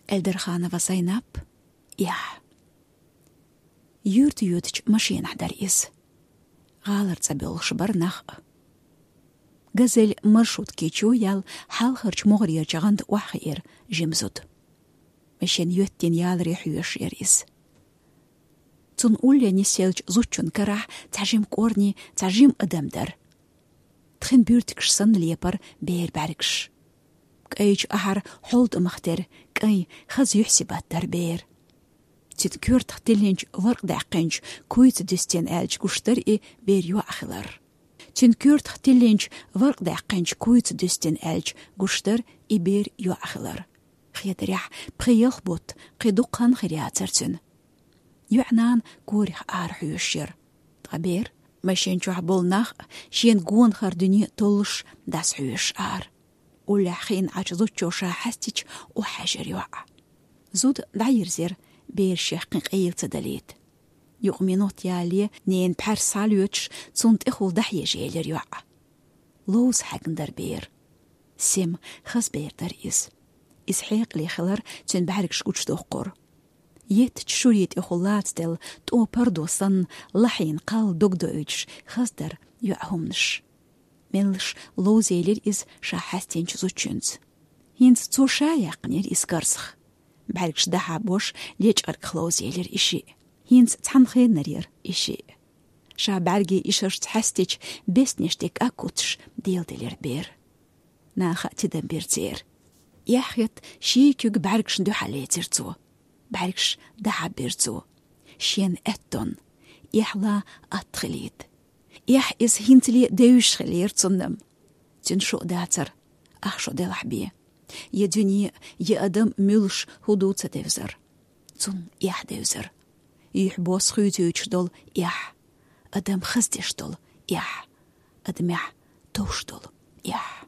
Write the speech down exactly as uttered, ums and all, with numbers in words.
Эльдарханова Зайнап. Эхь. Юьрта йоьдучу машенахь дара иза. ГӀалара цӀа боьлхуш бара нах а. «Газель» маршрутки чу яьлла, хьалхарчу могӀарерчу гӀанта охьахиира жима зуда. Машен йоьттина яларе хьоьжуш яра иза. Цунна улле нисъеллачу зудчун карахь цхьа жима кӀорни, цхьа жима адам дара. Тхин буьртигаш санна лепара бер бӀаьргаш. КӀайчу ахьара хьолтӀамах тера кӀайн хаза юьхь-сибат дара бер. Цуьнан коьртах тиллинчу варкъ даьккхинчу куйца дуьстина аьлча гуш дара и бер йоӀ хилар. Цуьнан коьртах тиллинчу варкъ даьккхинчу куйца дуьстина аьлча гуш дара и бер йоӀ хилар. Хетарехь, пхи-ялх бутт кхин дукха хан хир яцара цуьнан. ЙоьӀан нана корах ара хьоьжуш яра. Ткъа бер, машен чохь болу нах а, шена гонахара дуьне а толлуш, дӀасахьоьжуш ара. Уллехь хиъна Ӏачу зудчо ша хьаьстича, охьахьаьжира йоӀ. Зуда дӀайирзира, бер шех кхин къайла ца далийта. Юкъа минот ялале, ненан пхьаьрса схьалоьцуш, цунна тӀехула дӀахьежаелира йоӀ. Ловза хьаьгна дара бер. Сема, хаза бер дара иза. Иза хьекъале хилар цуьнан бӀаьргаш гучудоккхура. Еттачу шуре тӀехула лацаделла, тӀо пардо санна, лахьийна кхалла дог доуьйтуш, хаза дара йоьӀан хӀуманаш. Меллаша ловзаелира иза ша хьаьстинчу зудчуьнца. ХӀинца цо ша яьккхинера иза карзах. БӀаьргаш дӀахьабош, лечкъаргах ловзаелира и шиъ. ХӀинца цхьана хеннара яра и шиъ. Ша бӀаьргийн ишаршца хьаьстича, беснеш тӀе кӀаг кхуьссуш, деладелира бер. Наха а тидам бира церан. Эхь хетта, ший куьг бӀаьргашна дуьхьал лецира цо. БӀаьргаш дӀахьабира цо. Шена аьттонна, эхь лан атта хилийта. Эхь иза хӀинцале девзаш хилира цунна. Цуьнан шо а дацара, ах шо делахь бен. Я дуьне, я адам муьлш хӀун ду ца девзара. Цунна эхь девзара. Юьхь-бос хуьйцуьйтуш долу эхь. Адам хаздеш долу эхь. Адамехь товш долу эхь.